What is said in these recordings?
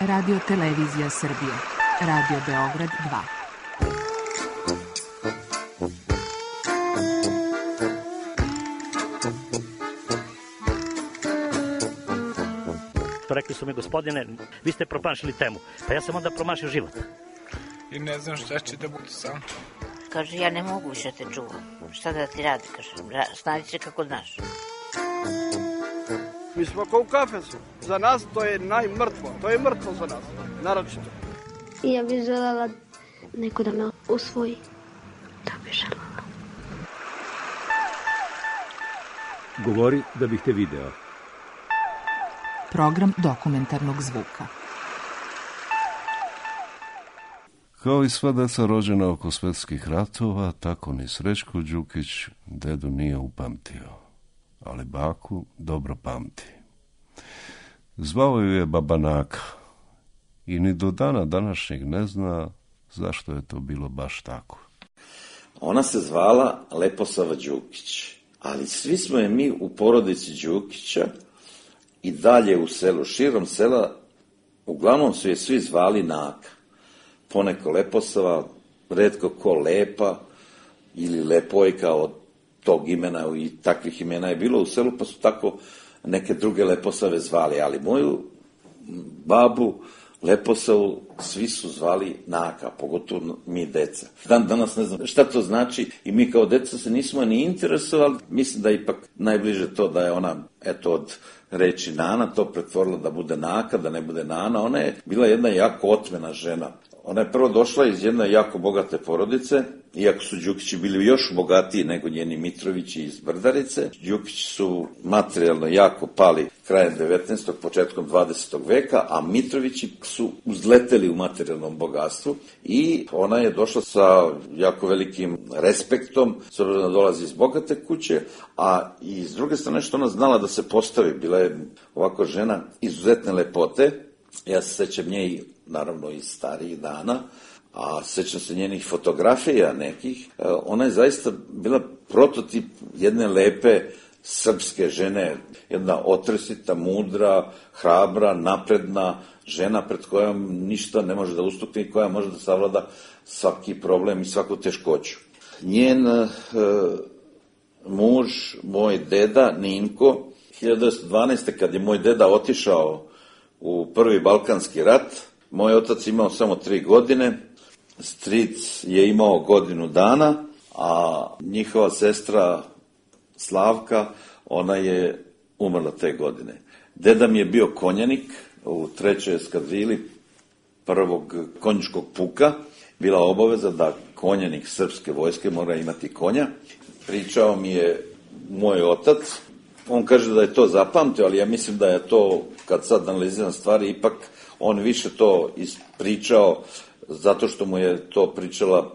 Radio Televizija Srbije. Radio Beograd 2. Rekli su mi, gospodine, vi ste promašili temu. Pa ja sam onda promašio život. I ne znam šta će da bude sam. Kaže, ja ne mogu više te čuvam. Šta da ti radi, kaže, snađi se kako znaš. Mi smo kao u kafesu. Za nas to je najmrtvo. To je mrtvo za nas, naročito. Ja bih želela neko da me usvoji. Da bih želela. Govori da bih te video. Program dokumentarnog zvuka. Kao i sva deca rođena oko svetskih ratova, tako ni Srećko Đukić dedu nije upamtio, ali baku dobro pamti. Zvao ju je Baba Naka i ni do dana današnjeg ne zna zašto je to bilo baš tako. Ona se zvala Leposava Đukić, ali svi smo je mi u porodici Đukića i dalje u selu, širom sela, uglavnom su je svi zvali Naka. Poneko Leposava, retko ko Lepa ili Lepojka, od tog imena i takvih imena je bilo u selu, pa su tako neke druge Leposave zvali, ali moju babu Leposavu svi su zvali Naka, pogotovo mi deca. Dan danas ne znam šta to znači i mi kao deca se nismo ni interesovali. Mislim da je ipak najbliže to da je ona, eto, od reči Nana to pretvorila da bude Naka, da ne bude Nana. Ona je bila jedna jako otmena žena. Ona je prvo došla iz jedne jako bogate porodice, iako su Đukići bili još bogatiji nego njeni Mitrovići iz Brdarice. Đukići su materijalno jako pali krajem 19. početkom 20. veka, a Mitrovići su uzleteli u materijalnom bogatstvu i ona je došla sa jako velikim respektom, s obzirom da dolazi iz bogate kuće, a i s druge strane što ona znala da se postavi. Bila je ovako žena izuzetne lepote. Ja se sećam nje i naravno iz starijih dana, a sećam se njenih fotografija nekih. Ona je zaista bila prototip jedne lepe srpske žene, jedna otresita, mudra, hrabra, napredna žena pred kojom ništa ne može da ustukne i koja može da savlada svaki problem i svaku teškoću. Njen muž, moj deda Ninko, 1912. kad je moj deda otišao u prvi Balkanski rat, moj otac imao samo 3 godine, stric je imao godinu dana, a njihova sestra Slavka, ona je umrla te godine. Deda mi je bio konjanik u 3. eskadrili 1. konjičkog puka. Bila obaveza da konjanik srpske vojske mora imati konja. Pričao mi je moj otac. On kaže da je to zapamtio, ali ja mislim da je to, kad sad analiziram stvari, ipak on više to ispričao zato što mu je to pričala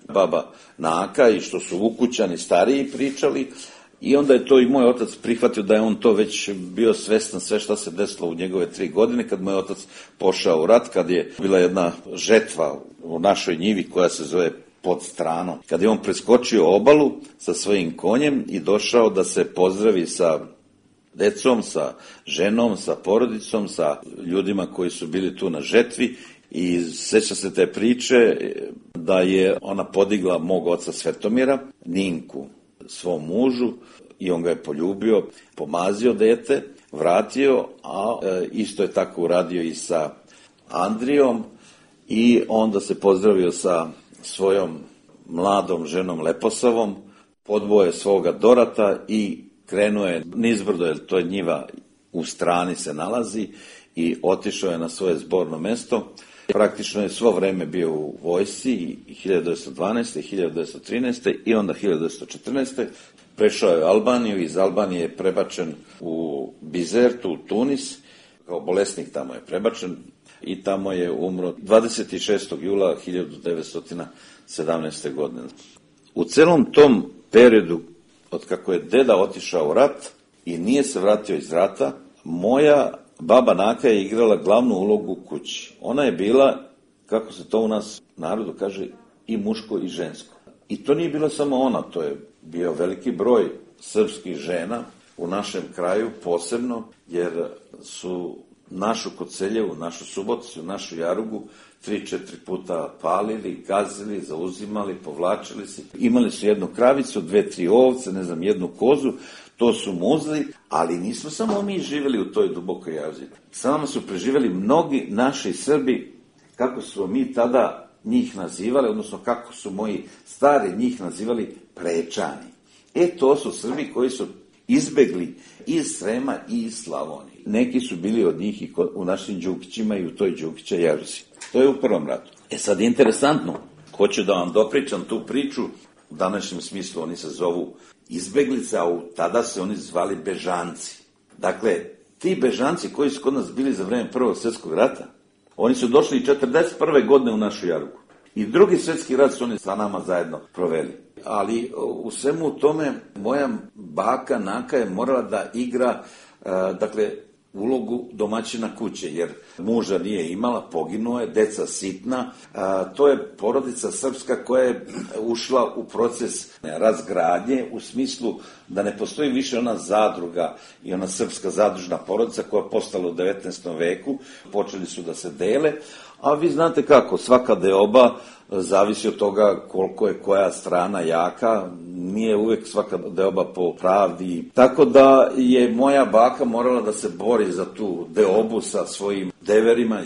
baba Naka i što su ukućani stariji pričali, i onda je to i moj otac prihvatio da je on to već bio svestan sve šta se desilo u njegove 3 godine kad moj otac pošao u rat, kad je bila jedna žetva u našoj njivi koja se zove Pod Stranom. Kad je on preskočio obalu sa svojim konjem i došao da se pozdravi sa decom, sa ženom, sa porodicom, sa ljudima koji su bili tu na žetvi, i seća se te priče da je ona podigla mog oca Svetomira, Ninku, svom mužu, i on ga je poljubio, pomazio dete, vratio, a isto je tako uradio i sa Andrijom, i onda se pozdravio sa svojom mladom ženom Leposavom, podboje svoga Dorata i krenuo je nizbrdo, jer to je njiva u strani se nalazi, i otišao je na svoje zborno mesto. Praktično je svo vreme bio u vojsci, i 1912. i 1913. i onda 1914. Prešao je Albaniju, iz Albanije je prebačen u Bizertu, u Tunis, kao bolesnik tamo je prebačen, i tamo je umro 26. jula 1917. godine. U celom tom periodu, od kako je deda otišao u rat i nije se vratio iz rata, moja baba Naka je igrala glavnu ulogu u kući. Ona je bila, kako se to u nas narodu kaže, i muško i žensko. I to nije bila samo ona, to je bio veliki broj srpskih žena u našem kraju posebno, jer su našu Koceljevu, našu Suboticu, našu Jarugu 3-4 puta palili, gazili, zauzimali, povlačili se. Imali su jednu kravicu, 2-3 ovce, ne znam, jednu kozu, to su muzli, ali nismo samo mi živjeli u toj dubokoj jazi. Samo su preživjeli mnogi naši Srbi, kako su mi tada njih nazivali, odnosno kako su moji stari njih nazivali prečani. To su Srbi koji su izbegli iz Srema i iz Slavonije. Neki su bili od njih i u našim Đukićima i u toj Đukića Jaruzi. To je u prvom ratu. Sad interesantno, hoću da vam dopričam tu priču, u današnjem smislu oni se zovu izbeglice, a tada se oni zvali bežanci. Dakle, ti bežanci koji su kod nas bili za vreme Prvog svjetskog rata, oni su došli i 41. godine u našu Jarugu. I Drugi svjetski rat su oni sa nama zajedno proveli. Ali u svemu tome moja baka Naka je morala da igra, ulogu domaćina kuće, jer muža nije imala, poginuo je, deca sitna. To je porodica srpska koja je ušla u proces razgradnje u smislu da ne postoji više ona zadruga i ona srpska zadružna porodica koja je postala u 19. veku. Počeli su da se dele, a vi znate kako, svaka deoba zavisi od toga koliko je koja strana jaka, nije uvek svaka deoba po pravdi. Tako da je moja baka morala da se bori za tu deobu sa svojim deverima,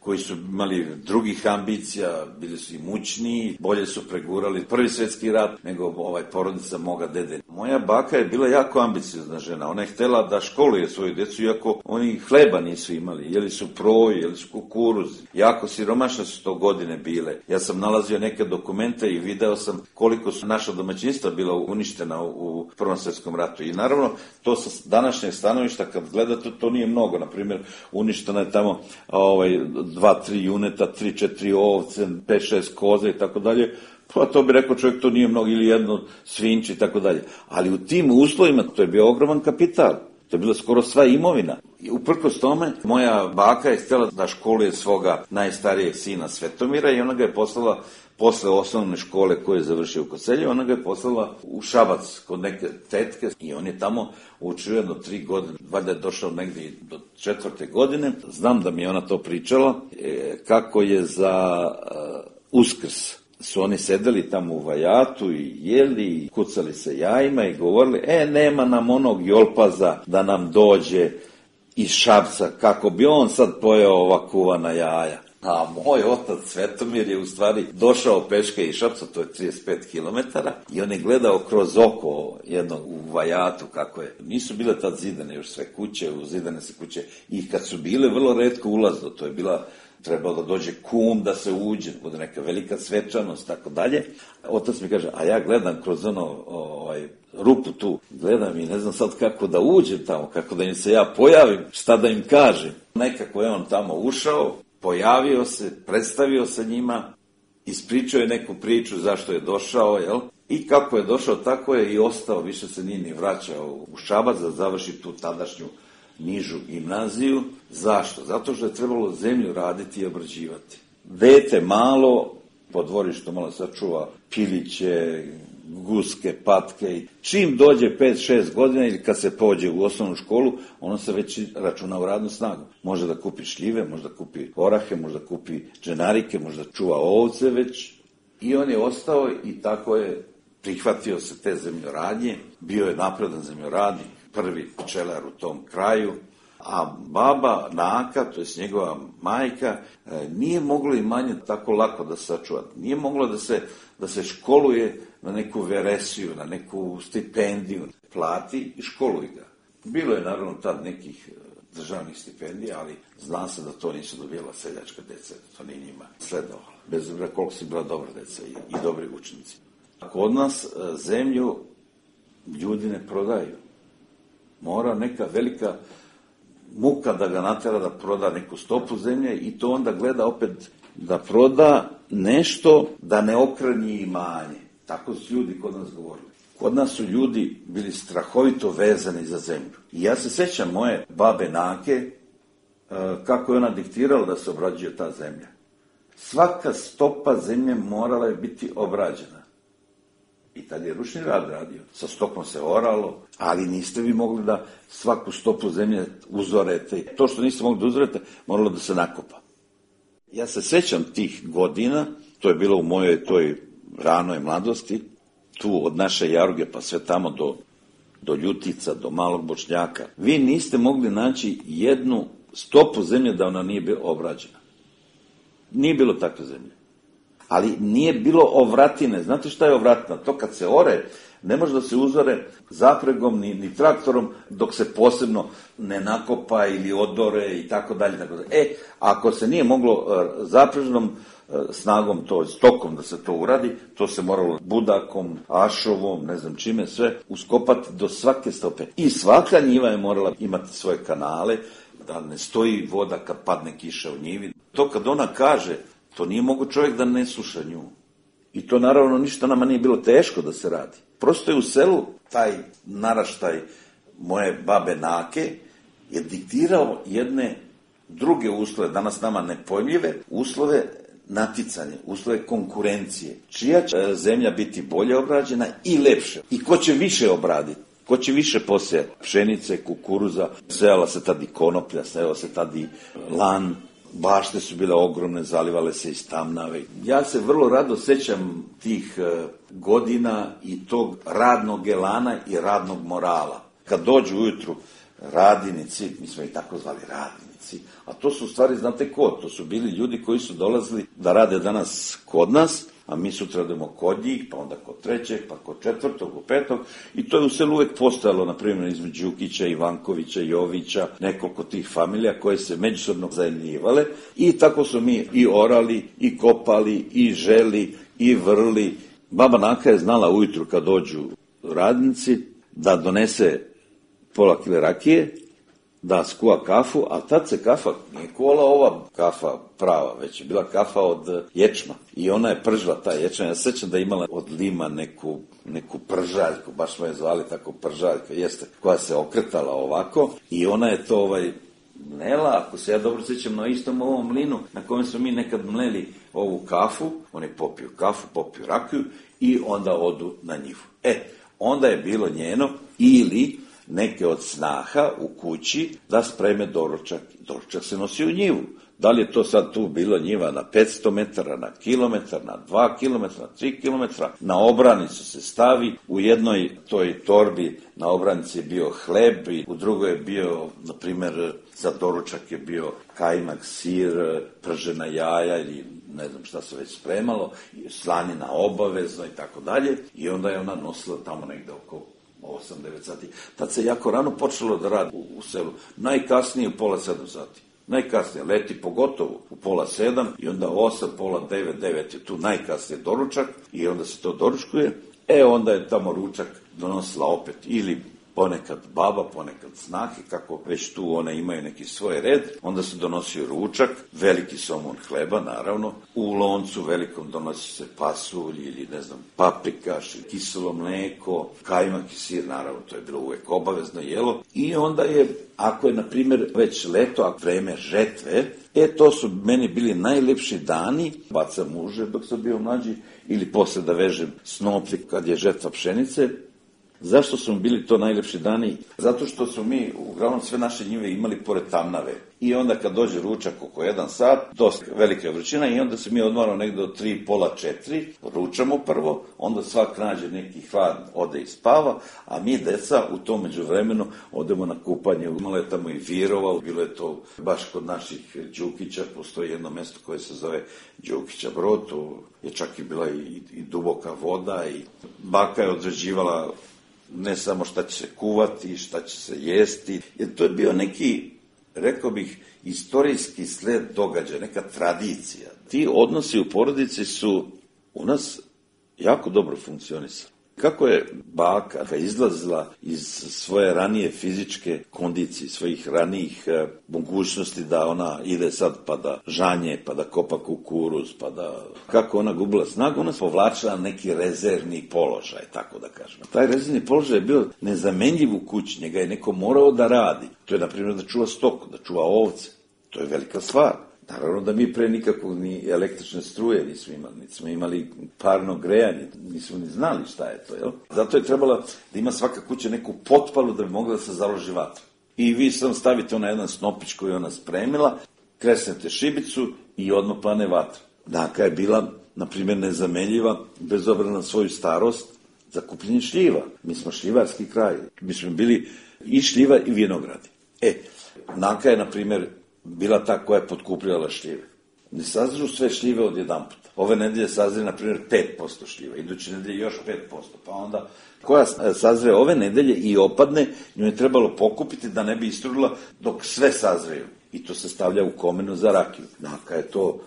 koji su imali drugih ambicija, bili su i mućniji, bolje su pregurali Prvi svjetski rat nego porodica moga dede. Moja baka je bila jako ambiciozna žena, ona je htjela da školuje svoju djecu, iako oni hleba nisu imali, jeli su proj, jeli su kukuruz, jako siromašne su to godine bile. Ja sam nalazio neke dokumente i video sam koliko su naša domaćinstva bila uništena u Prvom svjetskom ratu. I naravno, to sa današnjeg stanovišta, kad gledate, to nije mnogo. Naprimjer, uništena je tamo 2-3 juneta, 3-4 ovce, 5-6 koza i tako dalje. Pa to bi rekao čovjek, to nije mnogo, ili jedno svinče i tako dalje. Ali u tim uslovima to je bio ogroman kapital. To je bila skoro sva imovina. I uprkos tome, moja baka je htjela da školuje svoga najstarijeg sina Svetomira i ona ga je poslala posle osnovne škole koju je završio u Kocelju, ona ga je poslala u Šabac kod neke tetke i on je tamo učio jedno 3 godine, valjda je došao negdje do 4. godine. Znam da mi je ona to pričala, kako je za Uskrs su oni sedeli tamo u vajatu i jeli i kucali se jajima i govorili, nema nam onog Jolpaza da nam dođe iz Šapca, kako bi on sad pojeo ova kuvana jaja. A moj otac Svetomir je u stvari došao peške iz Šapca, to je 35 km, i on je gledao kroz oko jednog u vajatu kako je. Nisu bile tad zidane još sve kuće, zidane se kuće, i kad su bile vrlo retko ulazno, to je bila, trebalo da dođe kum da se uđe, da bude neka velika svečanost, tako dalje. Otac mi kaže, a ja gledam kroz rupu tu, gledam i ne znam sad kako da uđem tamo, kako da im se ja pojavim, šta da im kažem. Nekako je on tamo ušao, pojavio se, predstavio se njima, ispričao je neku priču zašto je došao, i kako je došao, tako je i ostao, više se nije ni vraćao u Šabac da završi tu tadašnju nižu gimnaziju. Zašto? Zato što je trebalo zemlju raditi i obrađivati. Dete malo, po dvorištu malo sačuva piliće, guske, patke. Čim dođe 5-6 godina ili kad se pođe u osnovnu školu, ono se već računa u radnu snagu. Može da kupi šljive, može da kupi orahe, može da kupi dženarike, može da čuva ovce već. I on je ostao i tako je prihvatio se te zemljoradnje. Bio je napredan zemljoradnik, prvi pčelar u tom kraju. A baba Naka, to je njegova majka, nije moglo imanje tako lako da sačuva. Nije moglo da se školuje na neku veresiju, na neku stipendiju. Plati i školuj ga. Bilo je naravno tad nekih državnih stipendija, ali zna se da to nisu dobijala seljačka deca, to nije njima sledovalo. Bez obzira koliko su bila dobra deca i dobri učenici. Kod nas zemlju ljudi ne prodaju. Mora neka velika muka da ga natera da proda neku stopu zemlje i to onda gleda opet da proda nešto da ne okranji imanje. Tako su ljudi kod nas govorili. Kod nas su ljudi bili strahovito vezani za zemlju. I ja se sećam moje babe Nake, kako je ona diktirala da se obrađuje ta zemlja. Svaka stopa zemlje morala je biti obrađena. I tad je ručni rad radio. Sa stokom se oralo, ali niste vi mogli da svaku stopu zemlje uzorete. To što niste mogli da uzorete, moralo da se nakopa. Ja se sećam tih godina, to je bilo u mojoj toj ranoj mladosti, tu od naše Jaruge pa sve tamo do Ljutica, do Malog Bošnjaka. Vi niste mogli naći jednu stopu zemlje da ona nije bila obrađena. Nije bilo takve zemlje. Ali nije bilo ovratine. Znate šta je ovratina? To kad se ore, ne može da se uzore zapregom ni traktorom dok se posebno ne nakopa ili odore i tako dalje. Ako se nije moglo zaprežnom snagom, to stokom da se to uradi, to se moralo budakom, ašovom, ne znam čime, sve uskopati do svake stope. I svaka njiva je morala imati svoje kanale, da ne stoji voda kad padne kiša u njivi. To kad ona kaže, to nije mogo čovjek da ne sluša nju. I to naravno ništa nama nije bilo teško da se radi. Prosto je u selu taj naraštaj moje babe Nake je diktirao jedne druge uslove, danas nama nepojmljive, uslove naticanja, uslove konkurencije. Čija će zemlja biti bolje obrađena i lepše. I ko će više obraditi. Ko će više posejati pšenice, kukuruza, sejala se tad i konoplja, sejala se tad i lan, bašte su bile ogromne, zalivale se iz tamnave. Ja se vrlo rado sećam tih godina i tog radnog elana i radnog morala. Kad dođu ujutru radinici, mi smo ih tako zvali radinici, a to su u stvari, znate ko? To su bili ljudi koji su dolazili da rade danas kod nas, a mi sutra idemo kod njih, pa onda kod trećeg, pa kod četvrtog, kod petog. I to je u selu uvek postojalo, na primjer, između Đukića, Ivankovića, Jovića, nekoliko tih familija koje se međusobno zajednjivale. I tako su mi i orali, i kopali, i želi, i vrli. Baba Naka je znala ujutru kad dođu radnici da donese pola kile rakije, da skuva kafu, a tad se kafa nije kuvala ova kafa prava, već je bila kafa od ječma. I ona je pržila taj ječma. Ja se sećam da je imala od lima neku pržaljku, baš smo je zvali tako pržaljka, jeste, koja se okretala ovako i ona je to mlela, ako se ja dobro sećam, na istom ovom mlinu na kojem smo mi nekad mleli ovu kafu, oni popiju kafu, popiju rakiju i onda odu na njivu. Onda je bilo njeno ili neke od snaha u kući da spreme doručak. Doručak se nosi u njivu. Da li je to sad tu bilo njiva na 500 metara, na kilometar, na 2 kilometra, na 3 kilometra, na obranicu se stavi, u jednoj toj torbi na obranici je bio hleb i u drugoj je bio, na primjer, za doručak je bio kajmak, sir, pržena jaja ili ne znam šta se već spremalo, slanina obavezno i tako dalje. I onda je ona nosila tamo negde oko 8-9 sati. Tad se jako rano počelo da radi u selu. Najkasnije u 6:30 sati. Najkasnije, leti pogotovo u 6:30 i onda 8, 8:30, 9 je tu najkasnije doručak i onda se to doručkuje. Onda je tamo ručak donosila opet ili ponekad baba, ponekad snahe, kako već tu one imaju neki svoj red, onda se donosio ručak, veliki somun hleba, naravno, u loncu velikom donosi se pasulj ili, ne znam, paprikaš, kiselo mleko, kajmak i sir, naravno, to je bilo uvek obavezno jelo. I onda je, ako je, na primjer, već leto, a vreme žetve, to su meni bili najlepši dani, bacam muže dok sam bio mlađi, ili posle da vežem snoplje kad je žetva pšenice. Zašto su mi bili to najlepši dani? Zato što su mi, uglavnom, sve naše njive imali pored tamnave. I onda kad dođe ručak oko 1 sat, dosta velika vrućina i onda se mi odmaramo negde do 3, pola 4, ručamo prvo, onda svak nađe neki hlad, ode i spava, a mi, deca, u tom međuvremenu odemo na kupanje. Malo je tamo i virova, bilo je to baš kod naših Đukića, postoji jedno mesto koje se zove Đukića Brod, to je čak i bila i duboka voda i baka je određivala ne samo šta će se kuvati, šta će se jesti, jer to je bio neki, rekao bih, istorijski sled događaja, neka tradicija. Ti odnosi u porodici su u nas jako dobro funkcionisali. Kako je baka izlazila iz svoje ranije fizičke kondicije, svojih ranijih mogućnosti da ona ide sad pa da žanje, pa da kopa kukuruz, pa da... Kako ona gubila snagu, ona se povlačila neki rezervni položaj, tako da kažem. Taj rezervni položaj je bio nezamenljiv u kući, njega je neko morao da radi. To je, na primjer, da čuva stoku, da čuva ovce. To je velika stvar. Naravno da mi pre nikakvog ni električne struje nismo imali, niti smo imali parno grejanje, nismo ni znali šta je to, jel? Zato je trebala da ima svaka kuća neku potpalu da bi mogla da se založi vatra. I vi sam stavite na jedan snopić koji je ona spremila, kresnete šibicu i odmah plane vatra. Naka je bila, na primjer, nezamenljiva, bez obzira na svoju starost, za kupljenje šljiva. Mi smo šljivarski kraj. Mi smo bili i šljiva i vinogradi. Naka je, na primjer, bila ta koja je potkupljala šljive. Ne sazrežu sve šljive od jedan puta. Ove nedelje sazre, na primjer, 5% šljiva. Iduće nedelje još 5%. Pa onda, koja sazre ove nedelje i opadne, nju je trebalo pokupiti da ne bi istrudila dok sve sazreju. I to se stavlja u komenu za rakiju. Naka je to,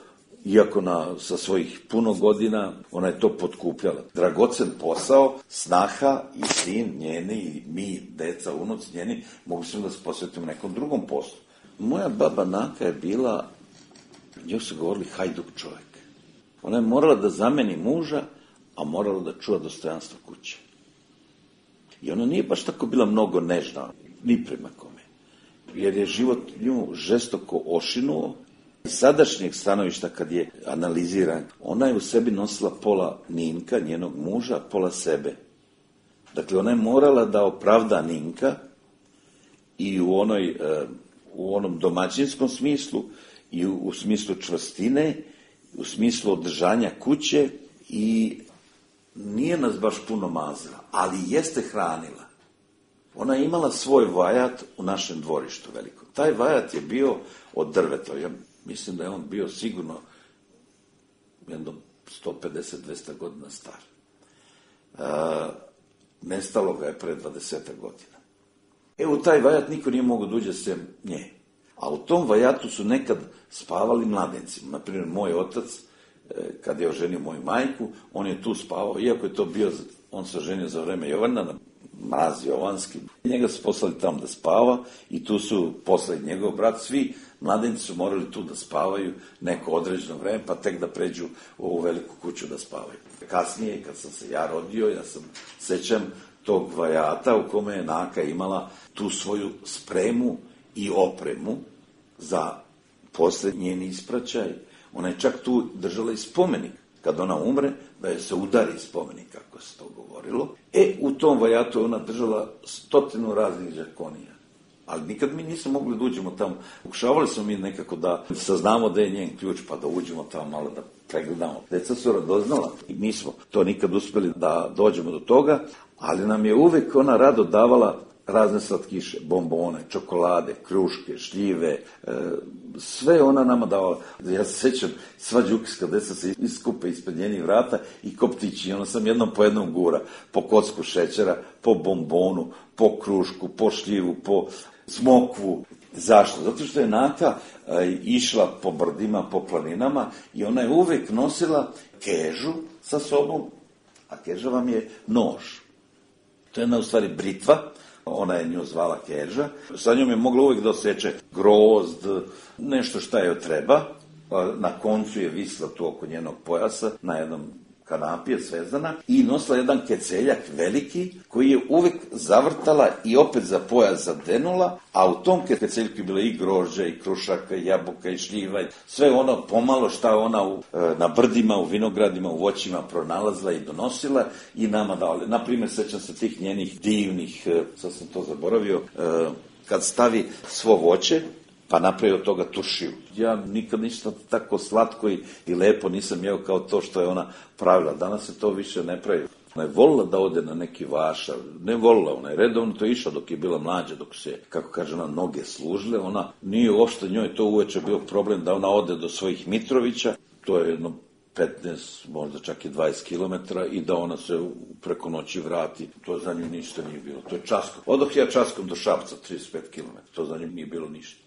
iako sa svojih puno godina, ona je to potkupljala. Dragocen posao, snaha i sin njeni, i mi, deca, unuci njeni, mogli smo da se posvetimo nekom drugom poslu. Moja baba Naka je bila, njoj su govorili hajduk čovjek. Ona je morala da zameni muža, a morala da čuva dostojanstvo kuće. I ona nije baš tako bila mnogo nežna, ni prema kome. Jer je život nju žestoko ošinuo. Iz sadašnjeg stanovišta, kad je analiziran, ona je u sebi nosila pola Ninka, njenog muža, pola sebe. Dakle, ona je morala da opravda Ninka i u onom domaćinskom smislu, i u smislu čvrstine, u smislu održanja kuće, i nije nas baš puno mazila, ali jeste hranila. Ona je imala svoj vajat u našem dvorištu velikom. Taj vajat je bio od drveta. Ja mislim da je on bio sigurno jedno 150-200 godina star. Nestalo ga je pre 20 godina. U taj vajat niko nije mogao da uđe sem nje. A u tom vajatu su nekad spavali mladenci. Naprimjer, moj otac, kad je oženio moju majku, on je tu spavao, iako je to bio, on se oženio za vreme Jovana, Mraz Jovanski. Njega su poslali tamo da spava i tu su poslali njegov brat. Svi mladenci su morali tu da spavaju neko određeno vreme, pa tek da pređu u ovu veliku kuću da spavaju. Kasnije, kad sam se ja rodio, ja sam sećam tog vajata u kome je Naka imala tu svoju spremu i opremu za posle njeni ispraćaj. Ona je čak tu držala i spomenik. Kad ona umre, da je se udari spomenik, kako se to govorilo. U tom vajatu je ona držala 100 raznih žarkonija. Ali nikad mi nismo mogli da uđemo tamo. Pokušavali smo mi nekako da saznamo da je njen ključ, pa da uđemo tamo malo da pregledamo. Deca su radoznala i mi smo to nikad uspeli da dođemo do toga, ali nam je uvek ona rado davala razne slatkiše, bombone, čokolade, kruške, šljive, sve ona nama davala. Ja se sećam, sva đukiska deca se iskupe ispred njenih vrata i koptići, i ona sam jednom po jednom gura, po kocku šećera, po bombonu, po krušku, po šljivu, po smokvu. Zašto? Zato što je Naka išla po brdima, po planinama, i ona je uvek nosila kežu sa sobom, a keža vam je nož. To je jedna u stvari britva, ona je nju zvala keža. Sa njom je mogla uvek da oseče grozd, nešto šta joj treba. Na koncu je visla tu oko njenog pojasa, na jednom kanapi je svezana, i nosila jedan keceljak veliki, koji je uvek zavrtala i opet za pojas zadenula, a u tom keceljku je bilo i grožđa, i krušaka, i jabuka, i šljiva, sve ono pomalo šta ona na brdima, u vinogradima, u voćima pronalazila i donosila i nama dala. Naprimjer, sećam se tih njenih divnih, sad sam to zaboravio, kad stavi svo voće, pa napravio od toga turšiju. Ja nikad ništa tako slatko i lepo nisam jeo kao to što je ona pravila. Danas se to više ne pravi. Ona je volila da ode na neki vašar. Ne volila, ona je redovno to išla dok je bila mlađa, dok se, kako kaže ona, noge služile. Ona nije uopšte njoj to uveče bio problem da ona ode do svojih Mitrovića. To je jedno 15, možda čak i 20 kilometara, i da ona se preko noći vrati. To za nju ništa nije bilo. To je časkom. Odoh ja časkom do Šapca, 35 kilometara. To za nju nije bilo ništa.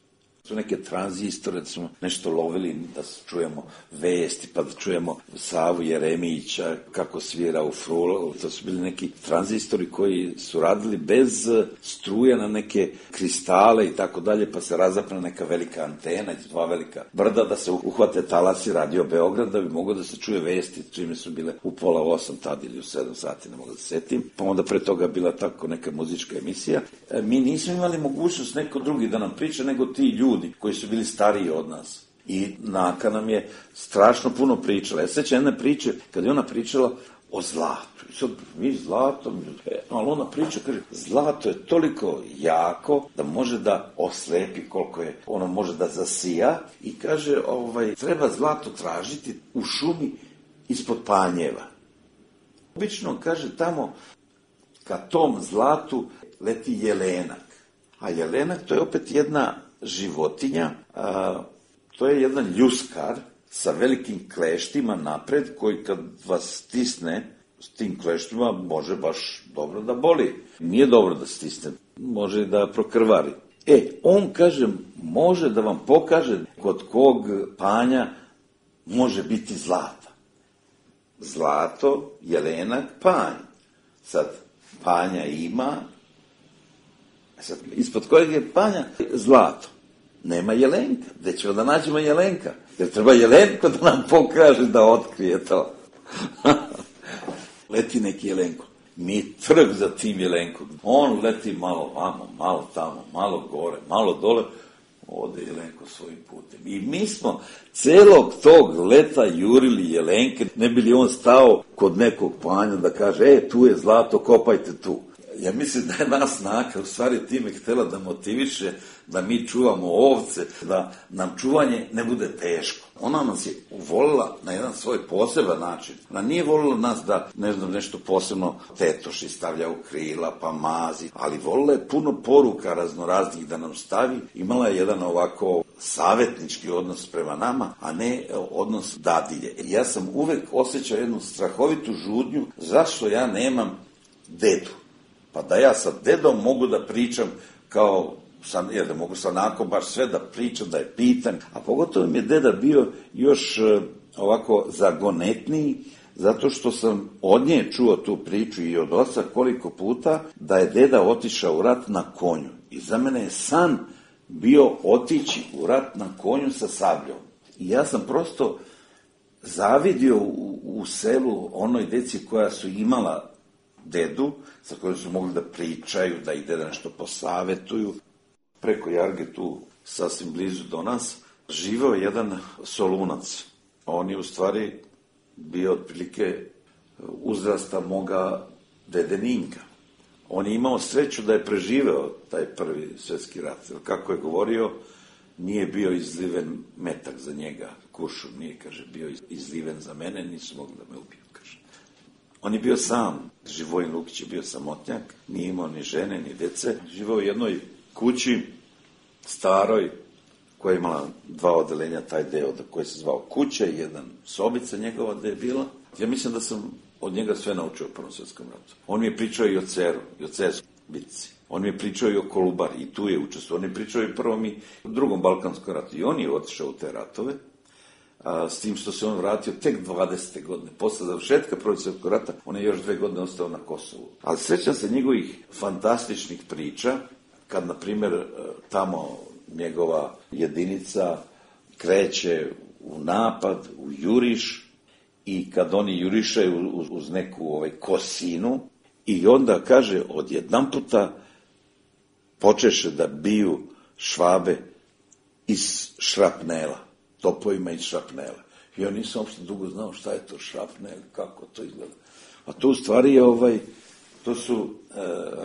Su neke tranzistore, da smo nešto lovili, da čujemo vesti, pa da čujemo Savu Jeremića kako svira u frulu. To su bili neki tranzistori koji su radili bez struje na neke kristale i tako dalje, pa se razapne neka velika antena iz dva velika brda da se uhvate talasi Radio Beograd da bi moglo da se čuje vesti, čime su bile u 7:30 tad ili u 7 sati, ne mogu da se setim. Pa onda pre toga bila tako neka muzička emisija. Mi nismo imali mogućnost neko drugi da nam priča, nego ti ljudi koji su bili stariji od nas. I Naka nam je strašno puno pričala. Ja sećam jedne priče, kad je ona pričala o zlatu. I sad mi zlato, ali ona priča, kaže, zlato je toliko jako da može da oslepi koliko je, ono može da zasija i kaže, treba zlato tražiti u šumi ispod panjeva. Obično, kaže, tamo ka tom zlatu leti jelenak. A jelenak to je opet jedna životinja, to je jedan ljuskar sa velikim kleštima napred, koji kad vas stisne s tim kleštima može baš dobro da boli. Nije dobro da stisne, može da prokrvari. On, kažem, može da vam pokaže kod kog panja može biti zlata. Zlato, jelenak, panj. Sad, panja ima, sad, ispod kojeg je panja zlato. Nema jelenka. Gde ćemo da nađemo jelenka? Jer treba jelenko da nam pokaže da otkrije to. Leti neki jelenko. Mi trg za tim jelenkom. On leti malo vamo, malo tamo, malo gore, malo dole. Ode jelenko svojim putem. I mi smo celog tog leta jurili jelenke, ne bi li on stao kod nekog panja da kaže, tu je zlato, kopajte tu. Ja mislim da je nas Naka u stvari time htjela da motiviše da mi čuvamo ovce, da nam čuvanje ne bude teško. Ona nas je volila na jedan svoj poseban način. Ona nije volila nas da, nešto posebno tetoši, stavlja u krila, pa mazi, ali volila je puno poruka raznoraznih da nam stavi. Imala je jedan ovako savjetnički odnos prema nama, a ne odnos dadilje. Ja sam uvek osjećao jednu strahovitu žudnju zašto ja nemam dedu. Pa da ja sa dedom mogu da pričam jer da mogu sa Nakom baš sve da pričam, da je pitan. A pogotovo mi je deda bio još ovako zagonetniji, zato što sam od nje čuo tu priču i od oca koliko puta da je deda otišao u rat na konju. I za mene je san bio otići u rat na konju sa sabljom. I ja sam prosto zavidio u selu onoj deci koja su imala dedu, sa kojom su mogli da pričaju, da ih deda nešto posavetuju. Preko Jarge, tu sasvim blizu do nas, živeo jedan Solunac. On je u stvari bio otprilike uzrasta moga dede Ninka. On je imao sreću da je preživeo taj prvi svjetski rat. Kako je govorio, nije bio izliven metak za njega, kuršum nije, kaže, bio izliven za mene, nisu mogli da me ubiju, kaže. On je bio sam, Živojin Lukić je bio samotnjak, nije imao ni žene, ni dece. Živao u jednoj kući, staroj, koja je imala 2 odelenja, taj deo koji se zvao kuća i jedan sobica njegova da je bila. Ja mislim da sam od njega sve naučio u Prvom svjetskom ratu. On mi je pričao i o Ceru, i o Cerskoj bitci. On mi je pričao i o Kolubari, i tu je učestvovao. On je pričao i Prvom i Drugom balkanskom ratu. I on je otišao u te ratove, s tim što se on vratio tek 20. godine. Posle završetka Prvog svjetskog rata, on je još 2 godine ostao na Kosovu. Ali srećam se njegovih fantastičnih priča, kad, na primjer, tamo njegova jedinica kreće u napad, u juriš, i kad oni jurišaju uz neku kosinu, i onda, kaže, odjedanputa počeše da biju švabe iz šrapnela, topovima iz šrapnela. I ja nisam uopšte dugo znao šta je to šrapnel, kako to izgleda. A to u stvari je, to su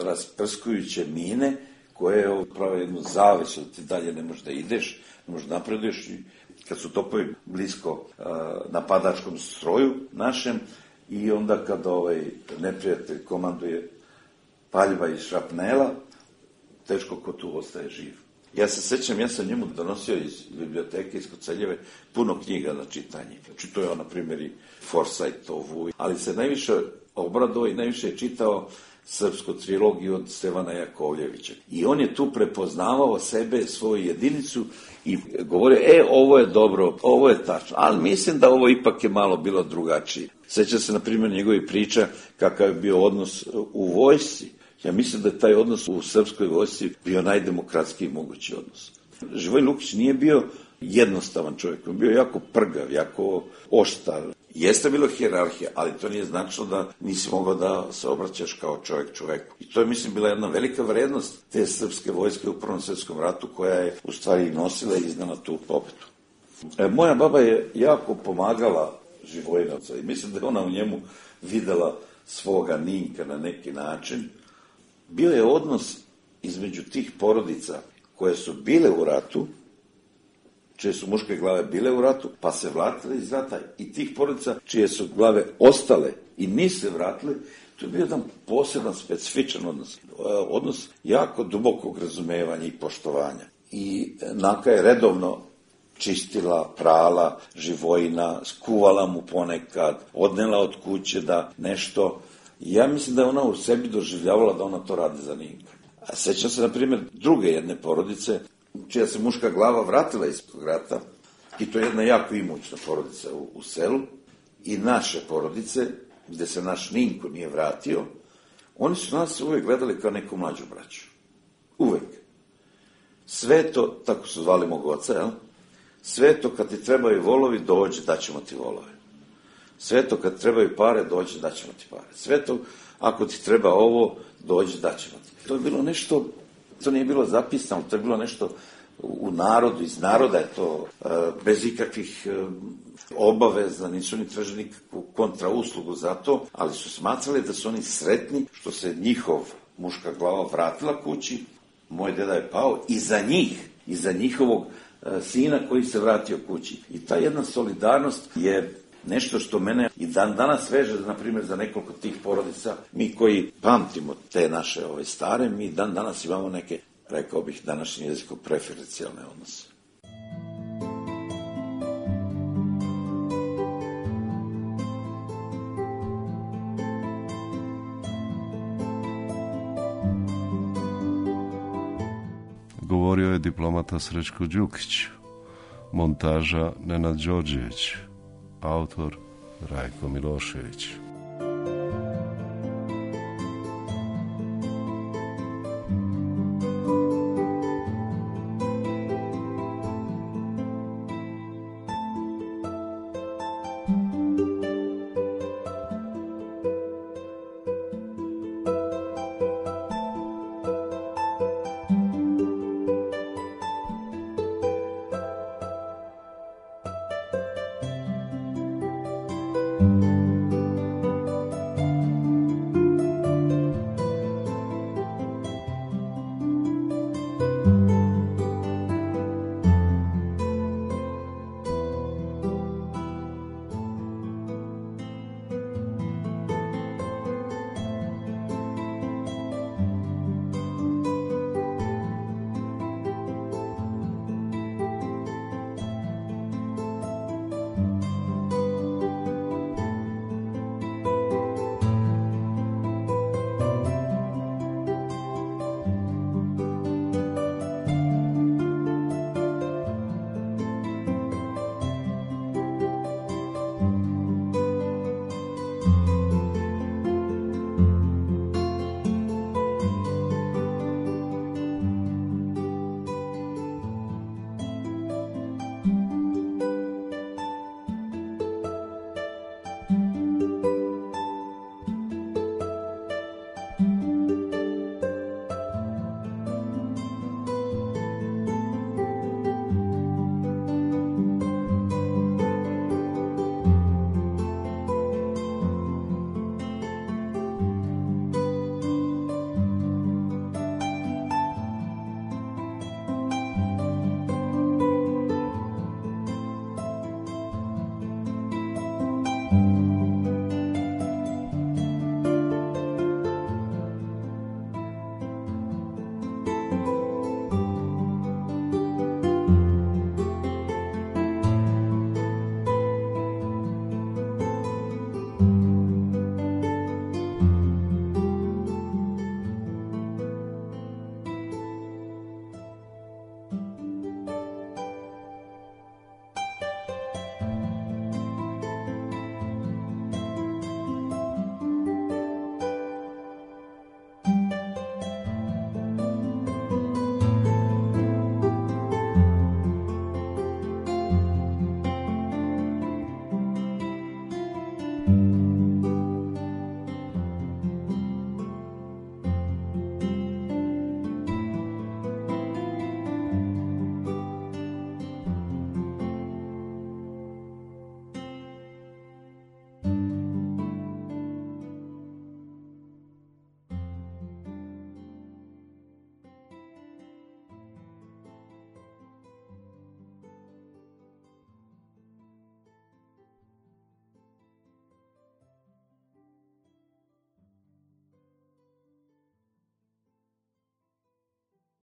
rasprskujuće mine, koje prave jednu zavesu, da ti dalje ne možeš da ideš, ne možeš da napreduješ. I kad su topovi blisko napadačkom stroju našem, i onda kad neprijatelj komanduje paljba iz šrapnela, teško ko tu ostaje živ. Ja se sećam, ja sam njemu donosio iz biblioteke, iz Koceljeve, puno knjiga za čitanje. Čitao je on, na primjer, i Forsajtovu, ali se najviše obradovao i najviše je čitao srpsku trilogiju od Stevana Jakovljevića. I on je tu prepoznavao sebe, svoju jedinicu, i govorio, ovo je dobro, ovo je tačno, ali mislim da ovo ipak je malo bilo drugačije. Seća se, na primjer, njegovi priča kakav je bio odnos u vojsci. Ja mislim da je taj odnos u srpskoj vojsci bio najdemokratskiji mogući odnos. Živojin Lukić nije bio jednostavan čovjek, on bio jako prgav, jako oštar. Jeste bilo hijerarhija, ali to nije značilo da nisi mogao da se obraćaš kao čovjek čovjeku. I to je, mislim, bila jedna velika vrednost te srpske vojske u Prvom svjetskom ratu, koja je u stvari nosila i iznala tu pobedu. Moja baba je jako pomagala Živojnovca i mislim da je ona u njemu videla svoga Ninka na neki način. Bio je odnos između tih porodica koje su bile u ratu, čije su muške glave bile u ratu, pa se vratile iz rata, i tih porodica čije su glave ostale i nisu se vratile. To je bio jedan poseban, specifičan odnos. Odnos jako dubokog razumevanja i poštovanja. I Naka je redovno čistila, prala Živojina, skuvala mu ponekad, odnela od kuće da nešto. Ja mislim da je ona u sebi doživljavala da ona to radi za Ninka. A sećam se, na primjer, druge jedne porodice, čija se muška glava vratila iz rata, i to je jedna jako imućna porodica u selu, i naše porodice, gde se naš Ninko nije vratio, oni su nas uvek gledali kao neku mlađu braću. Uvek. Sve to, tako su zvali mog oca, jel? Sve to kad ti trebaju volovi, dođi, daćemo ti volove. Sve to kad trebaju pare, dođi, daćemo ti pare. Sve to, ako ti treba ovo, dođi, daćemo ti. To je bilo nešto, to nije bilo zapisano, to je bilo nešto u narodu, iz naroda je to, bez ikakvih obaveza, nisu ni tražili nikakvu kontrauslugu za to, ali su smatrali da su oni sretni što se njihov muška glava vratila kući, moj deda je pao i za njih, i za njihovog sina koji se vratio kući. I ta jedna solidarnost je nešto što mene i dan danas veže, na primjer, za nekoliko tih porodica. Mi koji pamtimo te naše stare, mi dan danas imamo neke, rekao bih, današnji jezikom preferencijalne odnose. Govorio je diplomata Srećko Đukić, montaža Nenad Đorđević, autor Rajko Milošević. Thank you.